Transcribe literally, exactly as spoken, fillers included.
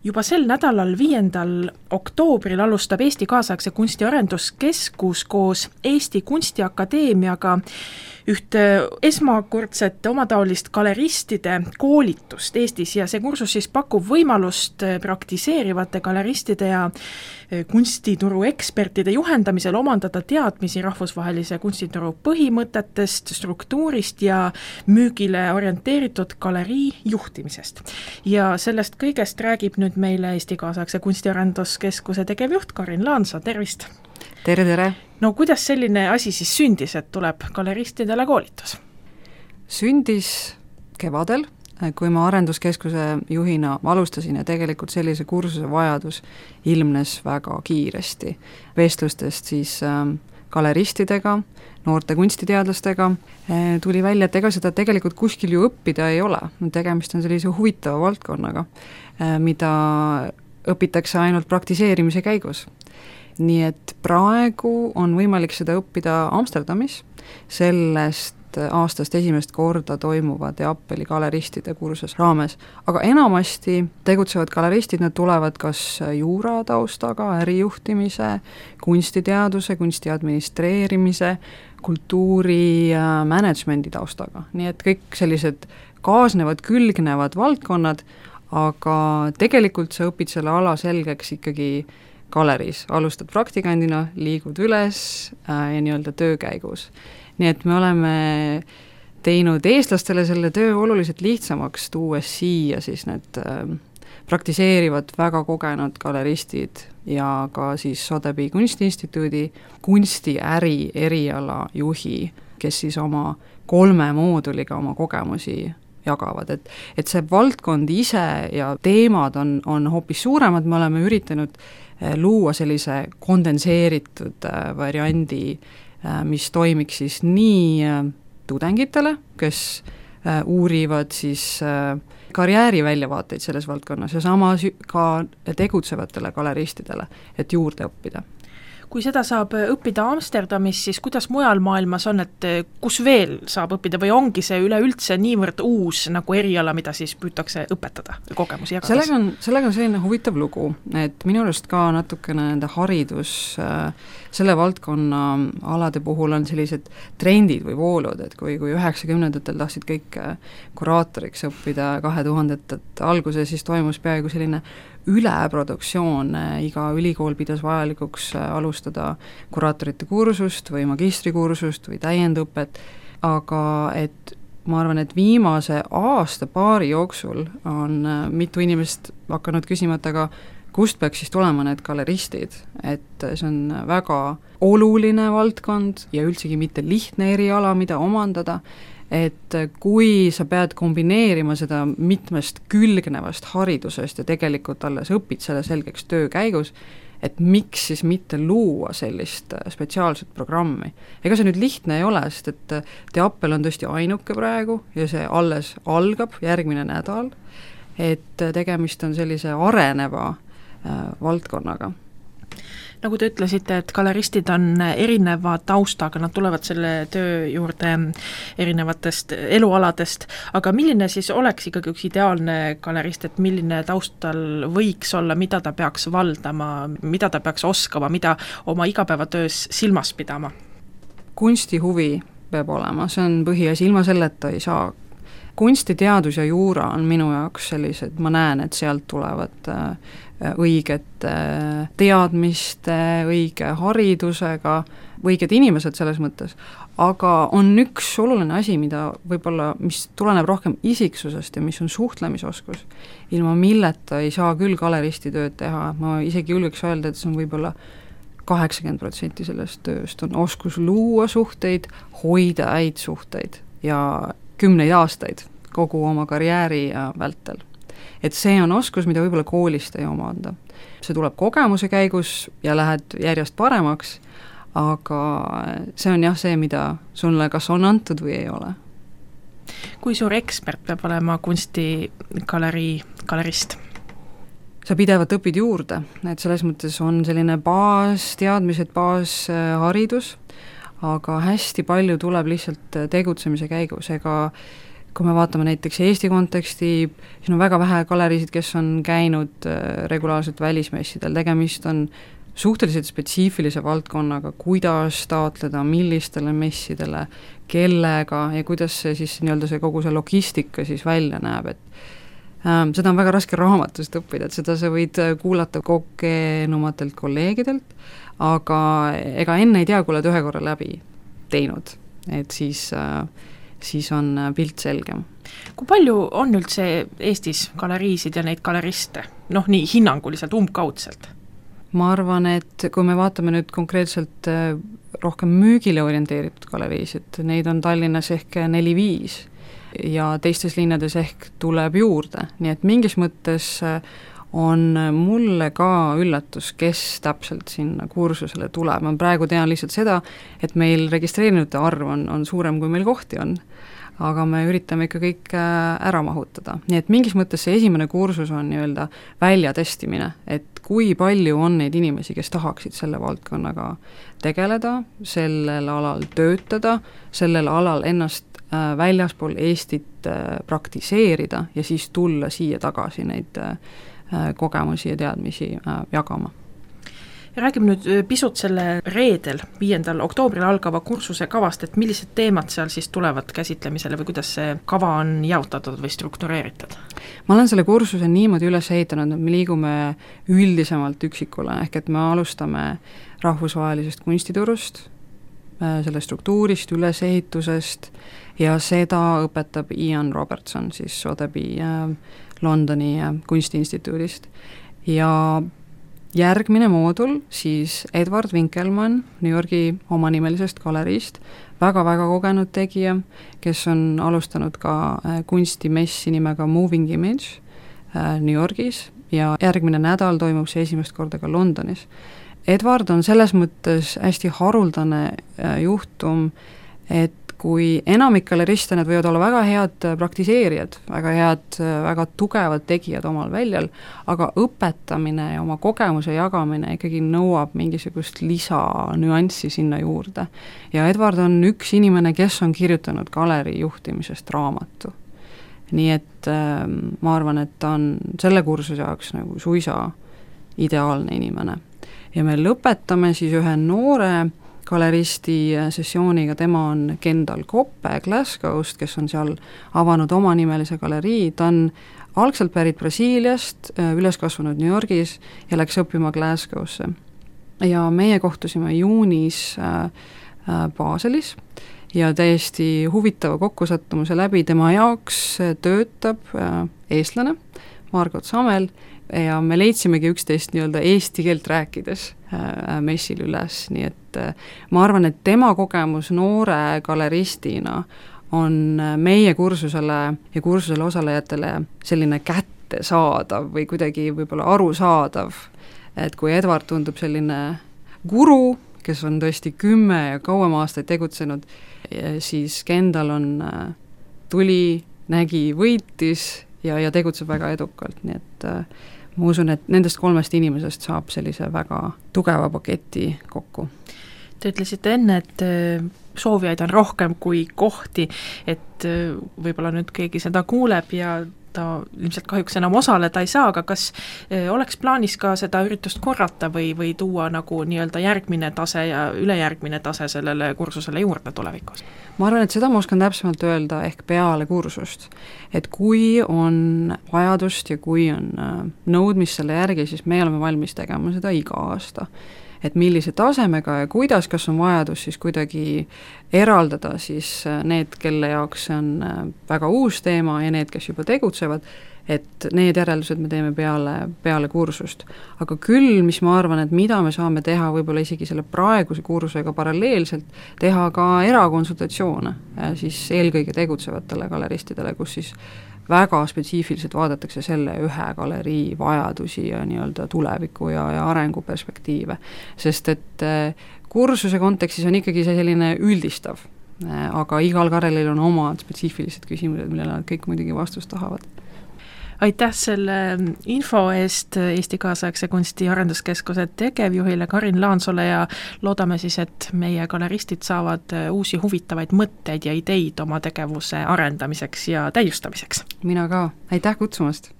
juba sel nädalal, viiendal oktoobril alustab Eesti Kaasaegse Kunsti Arenduskeskus koos Eesti Kunstiakadeemiaga üht esmakordset omataolist galeristide koolitust Eestis ja see kursus siis pakub võimalust praktiseerivate galeristide ja kunstituru ekspertide juhendamisel omandada teadmisi rahvusvahelise kunstituru põhimõtetest, struktuurist ja müügile orienteeritud galerii juhtimisest. Ja sellest kõigest räägib nüüd meile Eesti Kaasaegse Kunsti Arenduskeskuse tegevjuht Karin Laansa, tervist! Tere, tere! No kuidas selline asi siis sündis, et tuleb galeristidele koolitus? Sündis kevadel, kui ma arenduskeskuse juhina alustasin ja tegelikult sellise kursuse vajadus ilmnes väga kiiresti. Vestlustest siis galeristidega, noorte kunstiteadlastega tuli välja, et ega seda tegelikult kuskil ju õppida ei ole. Tegemist on sellise huvitava valdkonnaga, mida õpitakse ainult praktiseerimise käigus. Nii et praegu on võimalik seda õppida Amsterdamis, sellest aastast esimest korda toimuvad Apple galeristide kursus raames, aga enamasti tegutsevad galeristid, nad tulevad kas juura taustaga, ärijuhtimise, kunstiteaduse, kunsti administreerimise, kultuuri managemendi taustaga, nii et kõik sellised kaasnevad, külgnevad valdkonnad, aga tegelikult sa õpid selle ala selgeks ikkagi galeris, alustad praktikandina, liigud üles äh, ja nii-öelda töö käigus. Nii et me oleme teinud eestlastele selle töö oluliselt lihtsamaks, tuues siia siis need äh, praktiseerivad väga kogenud galeristid ja ka siis Sotheby's kunstiinstituudi kunstiäri eriala juhi, kes siis oma kolme mooduliga oma kogemusi jagavad, et, et see valdkond ise ja teemad on, on hoopis suuremad, me oleme üritanud luua sellise kondenseeritud variandi, mis toimiks siis nii tudengitele, kes uurivad siis karjääri väljavaateid selles valdkonnas ja samas ka tegutsevatele galeristidele, et juurde õppida. Kui seda saab õppida Amsterdamis, siis kuidas mujal maailmas on, et kus veel saab õppida või ongi see üleüldse niivõrd uus nagu eriala, mida siis püütakse õpetada kogemusi jagades? Sellega on, sellega on selline huvitav lugu, et minu arust ka natukene nende haridus, selle valdkonna alade puhul on sellised trendid või voolud, et kui, kui üheksakümnendatel tahtsid kõik kuraatoriks õppida kahe tuhandet alguse, siis toimus peaaegu selline üleproduktsioon, iga ülikool pidas vajalikuks alustada kuraatorite kursust või magistrikursust või täiendõpet, aga et ma arvan, et viimase aasta paari jooksul on mitu inimest hakanud küsima, et aga kust peaks siis tulema need galeristid, et see on väga oluline valdkond ja üldsegi mitte lihtne eriala, mida omandada, et kui sa pead kombineerima seda mitmest külgnevast haridusest ja tegelikult alles õpid selle selgeks töö käigus, et miks siis mitte luua sellist spetsiaalset programmi. Ega see nüüd lihtne ei ole, sest et Apple on tõesti ainuke praegu ja see alles algab järgmine nädal, et tegemist on sellise areneva äh, valdkonnaga. Nagu te ütlesite, et galeristid on erineva taustaga, nad tulevad selle töö juurde erinevatest elualadest, aga milline siis oleks ikkagi üks ideaalne galerist, et milline taustal võiks olla, mida ta peaks valdama, mida ta peaks oskama, mida oma igapäevatöös silmas pidama? Kunstihuvi peab olema, see on põhiasi, ilma selleta ei saa. Kunstiteadus ja juura on minu jaoks sellised, ma näen, et sealt tulevad õiget teadmiste, õige haridusega, õiged inimesed selles mõttes, aga on üks oluline asi, mida võib-olla, mis tuleneb rohkem isiksusest ja mis on suhtlemisoskus, ilma milleta ei saa küll galeristi tööd teha, ma isegi julgeks öelda, et see on võib-olla kaheksakümmend protsenti sellest tööst, on oskus luua suhteid, hoida häid suhteid ja kümneid aastaid kogu oma karjääri vältel. Et see on oskus, mida võib-olla koolist ei omanda. See tuleb kogemuse käigus ja lähed järjest paremaks, aga see on jah see, mida sulle kas on antud või ei ole. Kui suur ekspert peab olema kunstigalerii galerist? Sa pidevalt õpid juurde, et selles mõttes on selline baas, teadmised, baas haridus, aga hästi palju tuleb lihtsalt tegutsemise käigus, ega kui me vaatame näiteks Eesti konteksti, siis on väga vähe galeriisid, kes on käinud regulaarselt välismessidel, tegemist on suhteliselt spetsiifilise valdkonnaga, kuidas taotleda, millistele messidele, kellega ja kuidas see siis nii-öelda see kogu see logistika siis välja näeb, et ähm, seda on väga raske raamatust õppida, et seda sa võid kuulata kogenumatelt kolleegidelt, aga ega enne ei tea, kui oled ühe korra läbi teinud, et siis äh, siis on pilt selgem. Kui palju on üldse Eestis galeriisid ja neid galeriste? Noh, nii hinnanguliselt, umbkaudselt? Ma arvan, et kui me vaatame nüüd konkreetselt rohkem müügile orienteeritud galeriisid, neid on Tallinnas ehk neli-viis ja teistes linnades ehk tuleb juurde, nii et mingis mõttes on mulle ka üllatus, kes täpselt sinna kursusele tuleb. Ma praegu tean lihtsalt seda, et meil registreerinute arv on, on suurem, kui meil kohti on, aga me üritame ikka kõik ära mahutada. Nii et mingis mõttes see esimene kursus on nii-öelda väljatestimine, et kui palju on neid inimesi, kes tahaksid selle valdkonnaga tegeleda, sellel alal töötada, sellel alal ennast väljaspool Eestit praktiseerida ja siis tulla siia tagasi neid kogemusi ja teadmisi jagama. Ja räägime nüüd pisut selle reedel, viiendal oktoobril algava kursuse kavast, et millised teemad seal siis tulevad käsitlemisele või kuidas see kava on jaotatud või struktureeritud? Ma olen selle kursuse niimoodi üles ehitanud, et me liigume üldisemalt üksikule, ehk et me alustame rahvusvahelisest kunstiturust, selle struktuurist, ülesehitusest ja seda õpetab Ian Robertson siis Sotheby's Londoni kunstiinstituudist ja järgmine moodul siis Edward Winkelmann New Yorgi omanimelisest galeriist, väga-väga kogenud tegija, kes on alustanud ka kunstimessi nimega Moving Image New Yorgis ja järgmine nädal toimub see esimest korda ka Londonis. Edward on selles mõttes hästi haruldane juhtum, et kui enamik galeriste, need võivad olla väga head praktiseerijad, väga head, väga tugevad tegijad omal väljal, aga õpetamine ja oma kogemuse jagamine ikkagi nõuab mingisugust lisanüanssi sinna juurde. Ja Edward on üks inimene, kes on kirjutanud galeri juhtimisest raamatu. Nii et äh, ma arvan, et ta on selle kursuse jaoks nagu suisa ideaalne inimene. Ja me lõpetame siis ühe noore galeristi sessiooniga, tema on Kendall Koppe Glasgow'st, kes on seal avanud omanimelise galerii, ta on algselt pärit Brasiiliast, üles kasvanud New Yorgis ja läks õppima Glasgow'sse. Ja meie kohtusime juunis Baselis ja täiesti huvitava kokkusattumuse läbi tema jaoks töötab eestlane Margot Samel ja me leidsimegi üksteist nii-öelda eesti keelt rääkides äh, messil üles, nii et äh, ma arvan, et tema kogemus noore galeristina on meie kursusele ja kursusele osalejatele selline kättesaadav või kuidagi võib-olla arusaadav, et kui Edward tundub selline guru, kes on tõesti kümme ja kauem aastaid tegutsenud, siis Kendall on äh, tuli, nägi, võitis ja, ja tegutseb väga edukalt, nii et äh, ma usun, et nendest kolmest inimesest saab sellise väga tugeva paketi kokku. Te ütlesite enne, et soovijaid on rohkem kui kohti, et võib-olla nüüd keegi seda kuuleb ja ta ilmselt kahjuks enam osaleda ei saa, aga kas oleks plaanis ka seda üritust korrata või, või tuua nagu nii-öelda järgmine tase ja ülejärgmine tase sellele kursusele juurde tulevikus? Ma arvan, et seda ma oskan täpsemalt öelda ehk peale kursust, et kui on vajadust ja kui on nõudmist selle järgi, siis me oleme valmis tegema seda iga aasta. Et millise tasemega ja kuidas, kas on vajadus siis kuidagi eraldada siis need, kelle jaoks see on väga uus teema ja need, kes juba tegutsevad, et need järeldused me teeme peale, peale kursust. Aga küll, mis ma arvan, et mida me saame teha võib-olla isegi selle praeguse kursusega paralleelselt, teha ka erakonsultatsioone siis eelkõige tegutsevatele galeristidele, kus siis väga spetsiifiliselt vaadatakse selle ühe galerii vajadusi ja nii-öelda tuleviku ja, ja arenguperspektiive. Sest et kursuse kontekstis on ikkagi see selline üldistav, aga igal garelil on omad spetsiifilised küsimused, millele nad kõik muidugi vastust tahavad. aitäh selle info eest Eesti Kaasaegse Kunsti Arenduskeskuse tegevjuhile Karin Laansole ja loodame siis, et meie galeristid saavad uusi huvitavaid mõtteid ja ideid oma tegevuse arendamiseks ja täiustamiseks. mina ka, aitäh kutsumast!